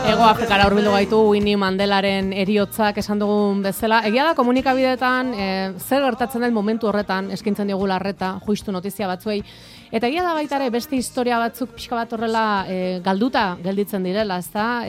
Hego Afrikara hurbildu gaitu Winnie Mandelaren heriotzak esan dugun bezala. Egia da komunikabideetan zer gertatzen den momentu horretan eskaintzen digula arreta, justu notizia batzuei. Eta egia da baita ere beste historia batzuk pixka bat horrela galduta gelditzen direla, ezta?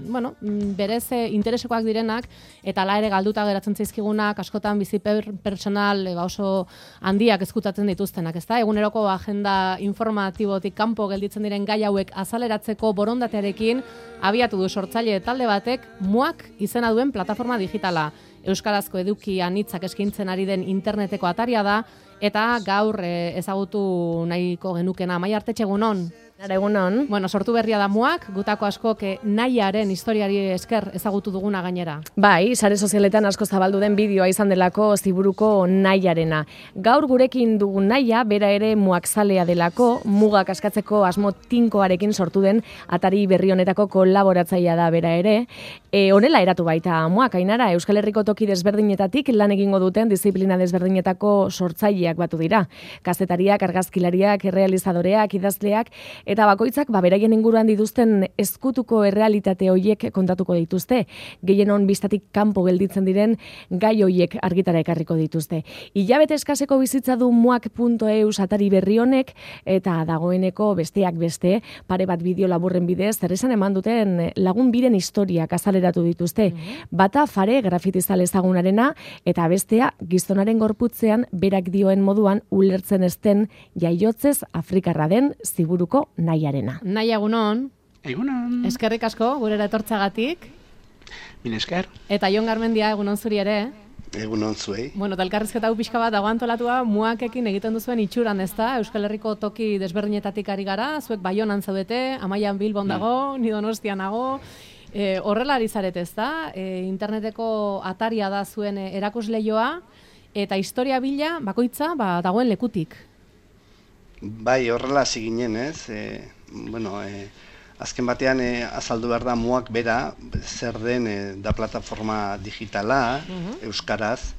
Bueno, berez interesekoak direnak eta hala ere galduta geratzen zaizkigunak askotan bizi pertsonal oso handiak ezkutatzen dituztenak, ezta? Eguneroko agenda informatibotik kanpo gelditzen diren gai hauek azaleratzeko borondatearekin abiatu du sortzaile talde batek MUAK izena duen plataforma digitala. Euskarazko eduki anitzak eskaintzen ari den interneteko ataria da, eta gaur ezagutu nahiko genukena. Amaia Artetxe, egunon? Egunon. Bueno, sortu berria da MUAK, gutako askok nahiaren historiari esker ezagutu duguna gainera. Bai, sare sozialetan asko zabaldu den bideoa izan delako ziburuko nahiarena. Gaur gurekin dugun nahia, bera ere MUAK zalea delako, mugak askatzeko asmo tinkoarekin sortu den atari berri honetako kolaboratzailea da bera ere. Honela eratu baita MUAK, Ainara, Euskal Herriko toki desberdinetatik lan egingo duten disiplina desberdinetako sortzaileak batu dira. Kazetariak, argazkilariak, errealizadoreak, idazleak, eta bakoitzak beraien inguruan dituzten ezkutuko errealitate hoiek kontatuko dituzte. Gehienon bistatik kanpo gelditzen diren gai hoiek argitara ekarriko dituzte. Hilabete eskaseko bizitza du muak.eus atari berri honek eta dagoeneko besteak beste pare bat bideo laburren bidez zeresan eman duten lagun biren historiak azaleratu dituzte. Bata Fare grafitizale ezagunarena eta bestea gizonaren gorputzean berak dioen moduan ulertzen ezten jaiotzez Afrikarra den ziburuko nahiarena. Nahi egunon. Egunon. Eskerrik asko, gurera etortzagatik. Min esker. Eta Jon Garmendia, egunon zuri ere. Egunon zuei. Bueno, eta elkarrizketa hau pixka bat dago antolatua MUAKekin egiten duzuen itxuran, ezta? Euskal Herriko toki desberdinetatik ari gara, zuek Baionan zaudete, Amaian Bilbon dago, ni Donostian nago. Horrela ari zarete, ezta? Interneteko ataria da zuen erakusleioa, eta historia bila bakoitza dagoen lekutik. Bai, horrela hasi ginen, ez? Azken batean azaldu behar da MUAK bera, zer den da plataforma digitala, euskaraz,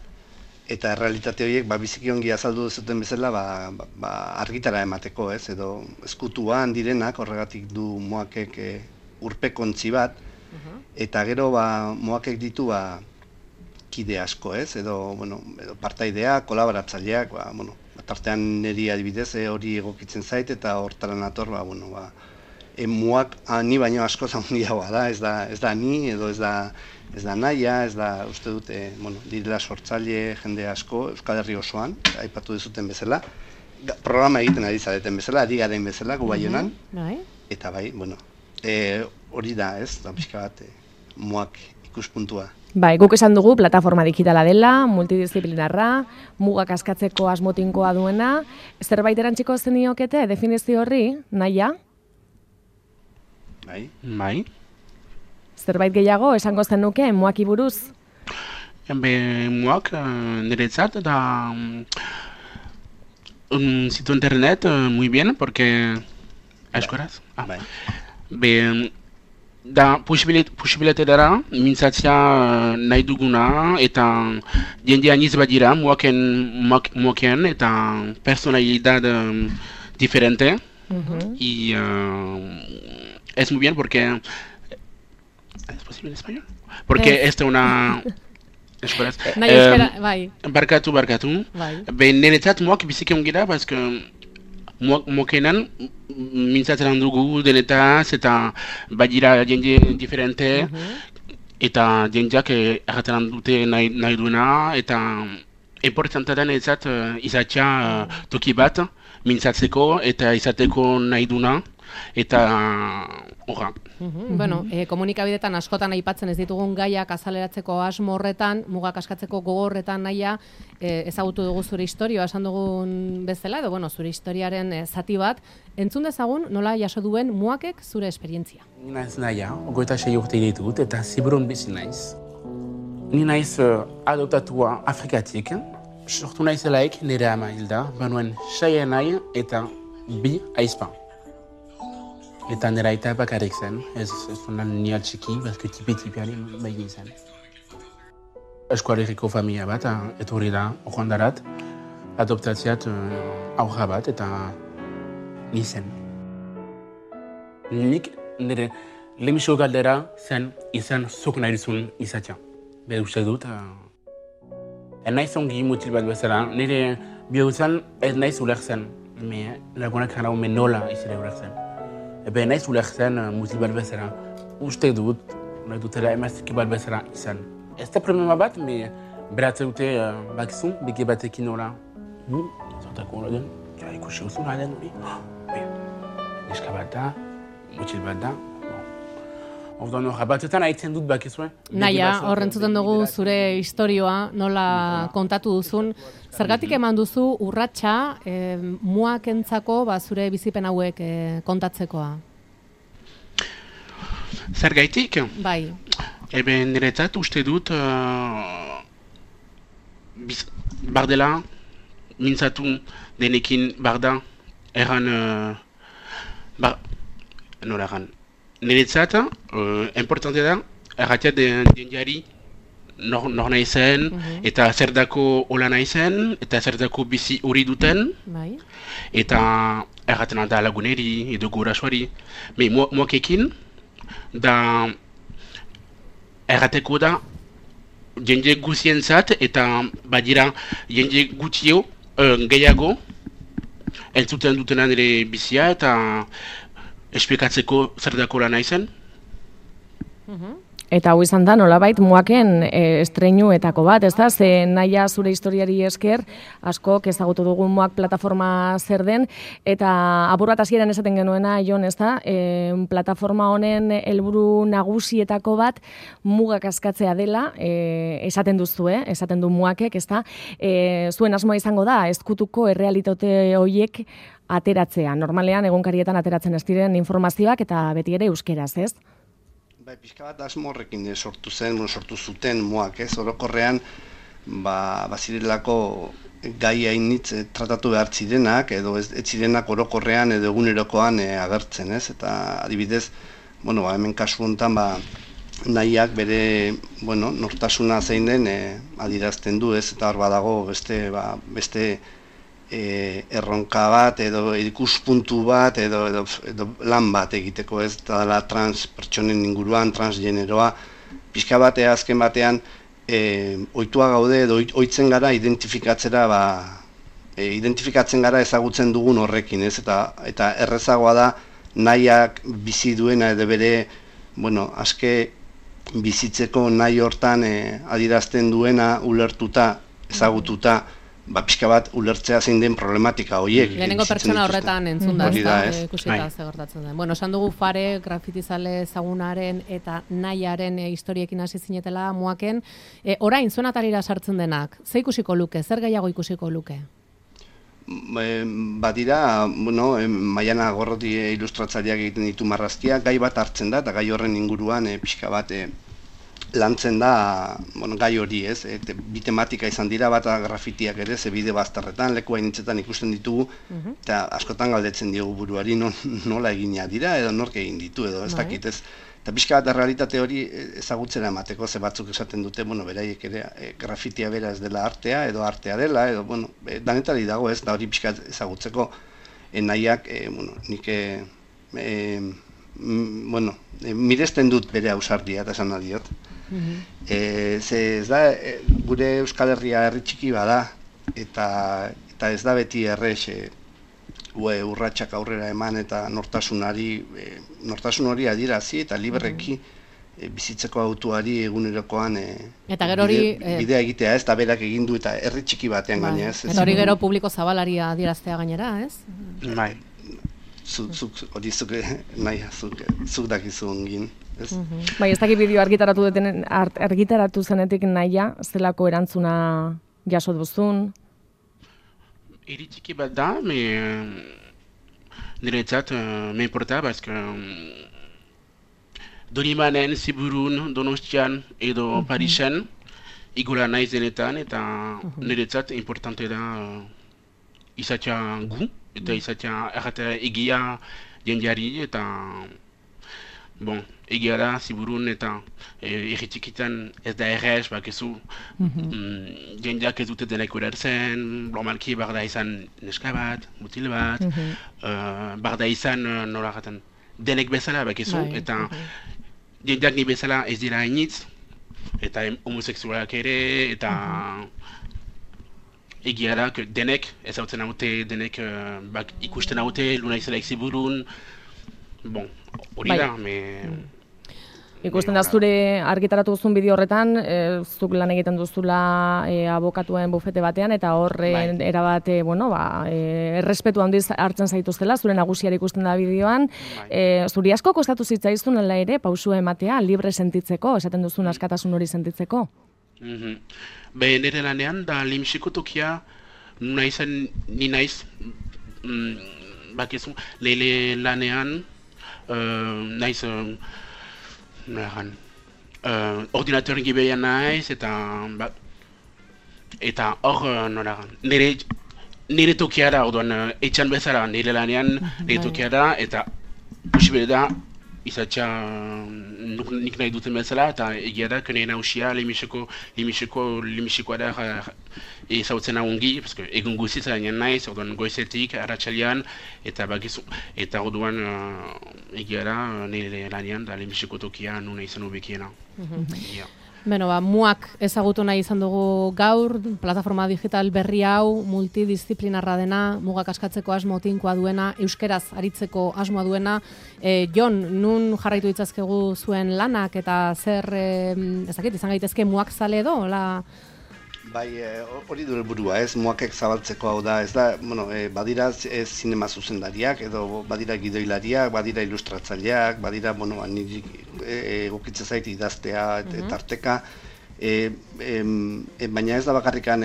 eta errealitate horiek biziki ongi azaldu zuten bezala argitara emateko, ez? Edo ezkutuan direnak, horregatik du MUAKek urpekontzi bat, eta gero MUAKek ditu kide asko, ez? Edo partaidea, kolaboratzaileak, tartean niri adibidez hori egokitzen zait eta hortara nator, MUAK ni baino asko handiagoa da, ez da ni edo ez da nahia, ez da uste dut, direla sortzaile jende asko Euskal Herri osoan, aipatu dizuten bezala, programa egiten ari zareten bezala, ari garen bezala, gu Baionan, eta hori da, ez, da pixka bat MUAK ikuspuntua. Bai, guk esan dugu plataforma digitala dela, multidisciplinarra, mugak askatzeko asmotinkoa duena. Zerbait erantziko zeniokete definizio horri, nahia? Bai. Zerbait gehiago esango zenuke MUAKi buruz? MUAK niretzat da un sitio internet muy bien, porque... Euskaraz? Da posibilitatea mintzatzea nahi duguna eta jende aniz badira MUAKen eta personalidad diferente y es muy bien porque ¿es posible en español? Porque esta una barkatu niretzat MUAK biziki ongi da parce que MUAKenan mintzatzen dugu denetaz eta badira jende diferente eta jendeak erraten dute nahi duena eta importantea da niretzat izatea toki bat mintzatzeko eta izateko nahi duena eta horra. Bueno, komunikabidetan askotan aipatzen ez ditugun gaiak azaleratzeko asmo horretan, mugak askatzeko gogorretan nahia, ezagutu dugu zure historia, esan dugun bezala, edo zure historiaren zati bat, entzun dezagun nola jaso duen MUAKek zure esperientzia. Ni naiz nahia, 26 urte ditut eta Ziburun bizi naiz. Ni naiz adoptatua Afrikatik, sortu naizelaik nire ama hilda, banuen 6 nahi eta 2 aizpa. Eta nera aita bakarrik zen, ez honan ni altxiki, bazko tipi-tipiari behigin zen. Euskal Herriko familia bat, etorri da, ohandarat, adoptatziat aurra bat eta ni zen. nik nire lehenbiziko galdera zen izan zuk nahi duzun izatea. Bede uste dut, naiz ongi mutil bat bezala, nire bihurtzen ez naiz ulertzen, lagunak jarrau nola izire ulertzen. Ebe naiz ulertzen mutil bat bezala, uste dut, nahi dutela emaztiki bat bezala izan. Ez da problema bat, beratze dute bakizun, beke batekin nola. Zortako hori den, ikusi guzun halen hori. Neska bat da, mutil bat da. Orduan hori batetan haitzen dut bakizuen. Naia, horrentzuten dugu zure historioa, nola kontatu duzun. Zergatik eman duzu urratsa muak entzako zure bizipen hauek kontatzekoa? Zergaitik? Bai. Eben niretzat uste dut bardela mintzatu denekin barda erran nola erran. Niretzat importante da erratea jendeari nor nahi zen eta zerdako hola nahi zen eta zerdako bizi hori duten eta erraten da laguneri edo gurasoari. Moakekin da errateko da jende guzientzat eta badira jende gutio gehiago entzuten dutena nire bizia eta esplikatzeko zer dako lan naizen. Eta hau izan da, nolabait, muaken estreinuetako bat, ez da? Ze Naia zure historiari esker, askok ezagutu dugun muak plataforma zer den, eta apur bat hasieran esaten genuena, Jon, ez da? Plataforma honen helburu nagusietako bat mugak askatzea dela, esaten duzu, esaten du muakek, ez da? Zuen asmoa izango da, ezkutuko errealitate horiek ateratzea. Normalean, egunkarietan ateratzen ez diren informazioak eta beti ere euskeraz, ez? Bai, pixka bat asmo horrekin sortu zuten muak, ez? Orokorrean, bazirelako gai hainitz tratatu behar zirenak, edo ez zirenak orokorrean edo egunerokoan agertzen, ez? Eta adibidez, hemen kasu honetan, Naiak bere, nortasuna zein den adierazten du, ez? Eta hor badago beste erronka bat edo ikuspuntu bat edo lan bat egiteko, ez dela trans pertsonen inguruan, transgeneroa, pixka batea azken batean ohitua gaude edo ohitzen gara identifikatzen gara ezagutzen dugun horrekin, ez? Eta errezagoa da nahiak bizi duena edo bere, aske bizitzeko nahi hortan adierazten duena ulertuta, ezagututa, pixka bat ulertzea zein den problematika horiek. Lehenengo pertsona horretan entzun da, ikusita ze gertatzen den. Esan dugu Fare, grafitizale ezagunaren eta Naiaren historiekin hasi zinetela muaken. Orain, zuen atarira sartzen denak, ze ikusiko luke, zer gehiago ikusiko luke? Badira, Maiana Gorroti ilustratzaileak egiten ditu marrazkiak, gai bat hartzen da, eta gai horren inguruan pixka bat lantzen da gai hori, ez? Bi tematika izan dira, bata grafitiak ere, ze bide bazterretan, leku hainitzetan ikusten ditugu, eta askotan galdetzen diogu buruari nola egina dira, edo nork egin ditu, edo ez dakit, ez? Eta pixka bat realitate hori ezagutzera emateko, ze batzuk esaten dute, beraiek ere grafitia bera ez dela artea, edo artea dela, edo, danetari dago, ez? Da hori pixka ezagutzeko Naiak, nik miresten dut bere ausardia, eta esan adiot. Ze ez da, gure Euskal Herria herri txiki bada, eta ez da beti errex urratsak aurrera eman eta nortasun hori adierazi eta libreki bizitzeko autuari egunerokoan bidea egitea, ez da berak egin du eta herri txiki batean gaina, ez? Eta hori gero publiko zabalari adieraztea gainera, ez? Bai, hori zuk dakizu ongin. Bai, ez dakit bideo argitaratu zenetik Naia, zelako erantzuna jaso duzun? Hiri txiki bat da, niretzat me importa, bazka Donimanen, Ziburun, Donostian edo Parisen igola naiz denetan, eta niretzat importante da izatea gu, eta izatea erratea egia jendeari, eta egia da, Ziburun eta erritxikitan ez da errez, bakezu jendeak ez dute denek urertzen, normalki barda izan neska bat, mutil bat, barda izan nola jaten denek bezala bakizu, eta jendeak ni bezala ez dira hainitz, eta homosexualak ere, eta egia da, denek, ezautzen haute, denek ikusten haute, luna izela ikziburun, bon, hori da, ikusten da zure argitaratu duzun bideo horretan, zuk lan egiten duzula abokatuen bufete batean, eta horre erabate, errespetu handiz hartzen zaituztela, zure nagusiari ikusten da bideoan. Zuri asko kostatu zitzaizun ela ere, pausua ematea, libre sentitzeko, esaten duzun askatasun hori sentitzeko? Nire lanean, da limxiko tokia, ni naiz, bakizu, leile lanean, naiz, ordinatoren gibeia naiz, eta hor, nire tokia da, orduan, etxan bezala, nire lanean, nire tokia da, eta usibere da, izatxa nik nahi duten bezala, eta egia da, kene nausia limixikoa da ezautzen ahongi, egun guziz gainean naiz, orduan goizetik, arratsalean, eta orduan egia da, nire lanean, da limixiko tokia nuna izan ubekiena. Muak ezagutu nahi izan dugu gaur, plataforma digital berri hau, multidisciplinarra dena, mugak askatzeko asmo tinkoa duena, euskeraz aritzeko asmoa duena. Jon, nun jarraitu ditzazkegu zuen lanak eta zer, ezakit, izan gaitezke muak zale edo? Bai, hori du helburua, muakek zabaltzeko hau da, ez da, badira zinema zuzendariak, edo badira gidoilariak, badira ilustratzaileak, badira, egokitza zait idaztea, tarteka, baina ez da bakarrikan,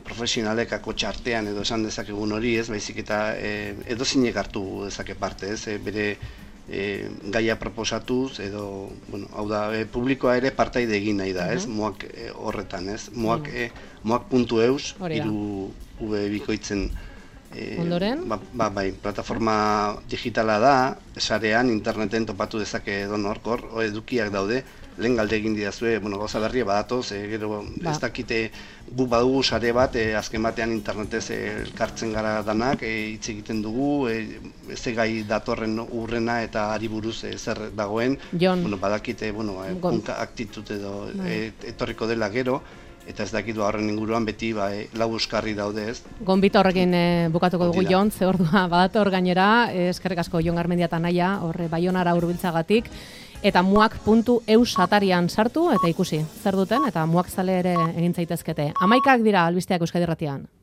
profesionalek akotxa artean edo esan dezakegun hori, ez, baizik eta edo zinek hartu dezake parte, ez, bere gaia proposatuz, edo, hau da, publikoa ere partaide egin nahi da, ez, muak horretan, ez, muak.eus, iru bikoitzen, ondoren? Bai, plataforma digitala da, sarean, interneten topatu dezake edo norkor, edukiak daude, lehen galde egin didazue, gauza berria badatoz, gero ez dakite gu badugu sare bat, azken batean internetez elkartzen gara danak, hitz egiten dugu, ez gai datorren urrena eta ari buruz zer dagoen, badakite, aktitut edo etorriko dela gero, eta ez dakitu horren inguruan beti lau euskarri daude, ez? Gonbita horrekin bukatuko dugu, Jon, ze ordua badator gainera, eskerrik asko Jon Garmendia eta Naia, horre Baionara hurbiltzagatik, eta muak.eus atarian sartu eta ikusi zer duten, eta muak zale ere egin zaitezkete. 11 dira albisteak Euskadi Irratian.